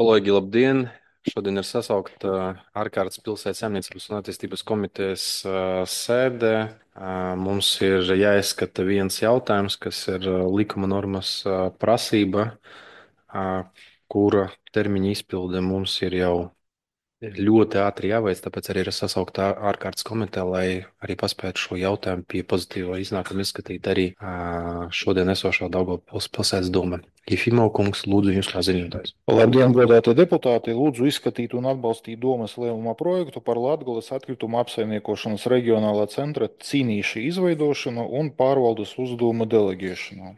Kolēģi, labdien! Šodien ir sasaukta ārkārtas pilsētas saimniecības un attīstības komitejas sēde. Mums ir jāizskata viens jautājums, kas ir likuma normas prasība, kura termiņa izpilde mums ir jau ļoti ātri jāveic, tāpēc arī ir sasaukta ārkārtas komiteja, lai arī paspētu šo jautājumu pie pozitīva iznākuma izskatīt arī šodien esošā Daugavpils pilsētas doma. Jefimov kungs, lūdzu, jūs kā ziņotājs. Labdien, godātie deputāti! Lūdzu izskatīt un atbalstīt domas lēmuma projektu par Latgales atkritumu apsaimniekošanas reģionālā centra cīnīšu izveidošanu un pārvaldes uzdevuma deleģēšanu.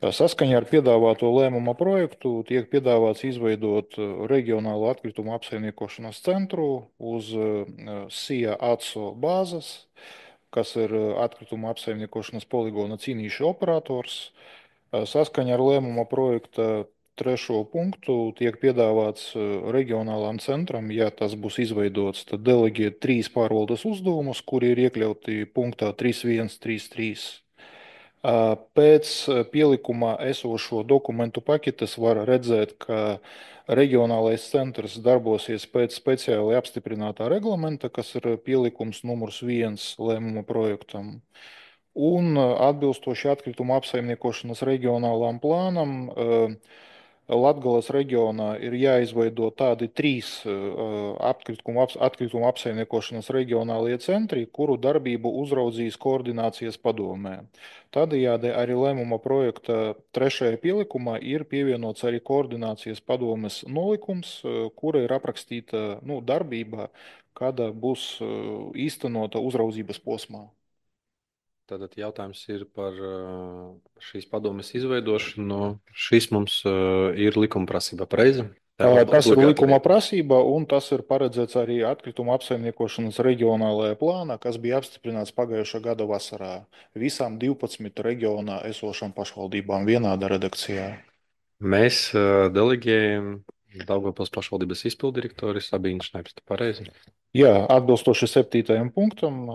Saskaņā ar piedāvāto lēmuma projektu tiek piedāvāts izveidot reģionālo atkritumu apsaimniekošanas centru uz SIA ATSO bāzes, kas ir atkritumu apsaimniekošanas poligona cīnīšu operators. Saskaņā ar lēmuma projekta trešo punktu tiek piedāvāts reģionālām centram, ja tas būs izveidots, tad deleģēt 3 pārvaldes uzdevumus, kuri ir iekļauti punktā 3.1.3.3. Pēc pielikumā esošo dokumentu paketes var redzēt, ka reģionālais centrs darbosies pēc speciāli apstiprinātā reglamenta, kas ir pielikums numurs 1 lēmuma projektam. Un atbilstoši atkritumu apsaimniekošanas reģionālām plānam, Latgales reģionā ir jāizveido tādi 3 atkritumu apsaimniekošanas reģionālie centri, kuru darbību uzraudzīs koordinācijas padomē. Tādējādi arī lēmuma projekta 3. pielikumā ir pievienots arī koordinācijas padomes nolikums, kura ir aprakstīta darbība, kāda būs īstenota uzraudzības posmā. Tātad jautājums ir par šīs padomes izveidošanu. Šis mums ir likuma prasība, pareizi? Tas ir likuma prasība, un tas ir paredzēts arī atkritumu apsaimniekošanas reģionālajā plānā, kas bija apstiprināts pagājušā gada vasarā visām 12 reģionā esošām pašvaldībām vienādā redakcijā. Mēs deleģējam Daugavpils pašvaldības izpildirektori Sabīnu Šnepstu, pareizi? Jā, atbilstoši 7. punktam,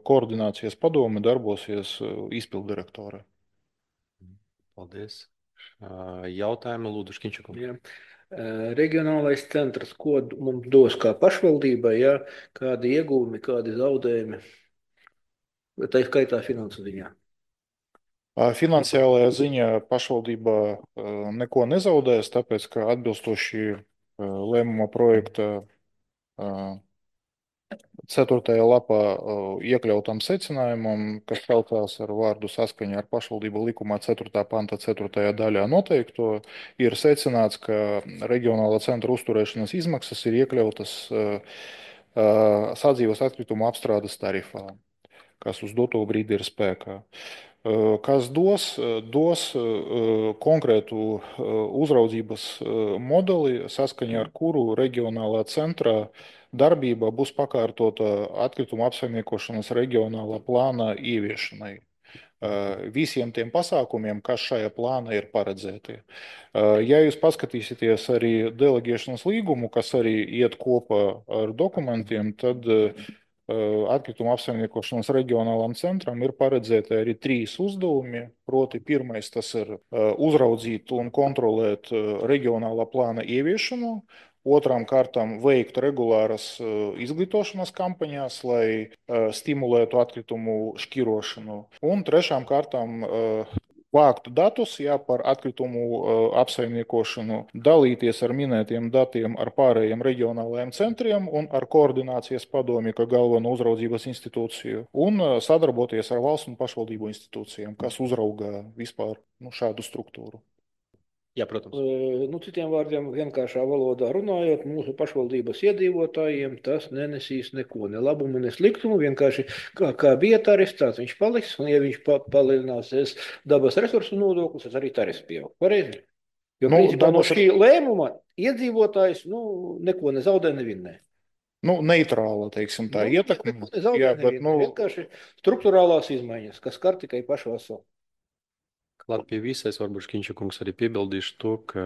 koordinācijas padome darbosies izpildirektore. Paldies. Jautājumu lūdzu Škiņčukam. Jā. Reģionālais centrs, ko mums dos kā pašvaldībai, ja? Kādi iegūmi, kādi zaudējumi, tā skaitā finansu ziņā? Finansiālajā ziņā pašvaldība neko nezaudēs, tāpēc, ka atbilstoši lēmuma projekta 4. lapā iekļautam secinājumam, kas celtās ar vārdu saskaņā ar pašvaldību likumā 4. panta 4. daļā noteikto, ir secināts, ka reģionālā centra uzturēšanas izmaksas ir iekļautas sadzīves atkritumu apstrādes tarifā, kas uz doto brīdi ir spēkā. Kas dos konkrētu uzraudzības modeli, saskaņā ar kuru reģionālā centra darbība būs pakārtota atkritumu apsaimniekošanas reģionālā plāna ieviešanai. Visiem tiem pasākumiem, kas šajā plānā ir paredzēti. Ja jūs paskatīsieties arī deleģēšanas līgumu, kas arī iet kopā ar dokumentiem, tad atkritumu apsaimniekošanas reģionālam centram ir paredzēti arī 3 uzdevumi. Proti, pirmais tas ir uzraudzīt un kontrolēt reģionālā plāna ieviešanu. Otrām kārtām veikt regulāras izglītošanas kampaņās, lai stimulētu atkritumu šķirošanu. Un trešām kārtām vākt datus par atkritumu apsaimniekošanu, dalīties ar minētiem datiem ar pārējiem reģionālajiem centriem un ar koordinācijas padomi, kā galveno uzraudzības institūciju, un sadarboties ar valsts un pašvaldību institūcijām, kas uzrauga vispār šādu struktūru. Jā, protams. Citiem vārdiem, vienkāršā valodā runājot, mūsu pašvaldības iedzīvotājiem tas nenesīs neko, ne labumu, ne sliktumu. Vienkārši kā bija tarifs, tāds viņš paliks, un ja viņš palielināsies dabas resursu nodoklis, tad arī tarifs pieaug. Pareizi? Jo principā no šī lēmuma iedzīvotājs neko nezaudē, nevinnē. Neitrāla, teiksim, tā ietekme. Jā, bet vienkārši struktūrālās izmaiņas, kas skar tikai pašu veselu. Klāt pie visais, varbūt Škiņčukungs arī piebildīšu to, ka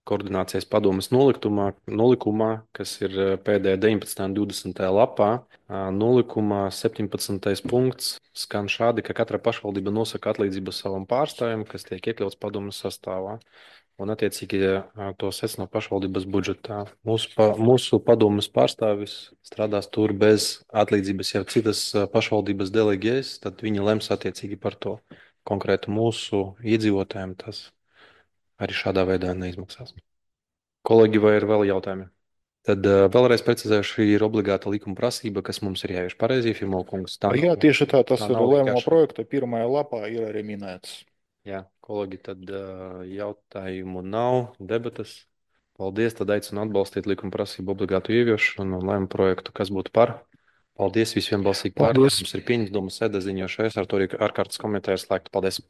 koordinācijas padomes nolikumā, kas ir pēdējā 19. un 20. lapā, nolikumā 17. punkts skan šādi, ka katra pašvaldība nosaka atlīdzību savam pārstāvjam, kas tiek iekļauts padomes sastāvā. un attiecīgi to secino pašvaldības budžetā. Mūsu padomes pārstāvis strādās tur bez atlīdzības, ja citas pašvaldības deleģēs, tad viņi lems attiecīgi par to konkrētu mūsu iedzīvotājiem. Tas arī šādā veidā neizmaksās. Kolēģi, vai ir vēl jautājumi? Tad vēlreiz precizēšu, šī ir obligāta likuma prasība, kas mums ir jāievieš pareizi, Firmokungs. Tā Jā, tieši tā, tas tā ir nav lēmuma vienkārši. projekta pirmajā lapā ir arī minēts. Jā, kolēģi, tad jautājumu nav, debatas. Paldies, tad aicinu atbalstīt likuma prasību obligātu ieviešanu un lēmumu projektu, kas būtu par. Paldies, visiem balsīgi par. Paldies! Mums ir pieņems domas sēde ziņošais, ar to arī ārkārtas komiteja ir slēgta. Paldies!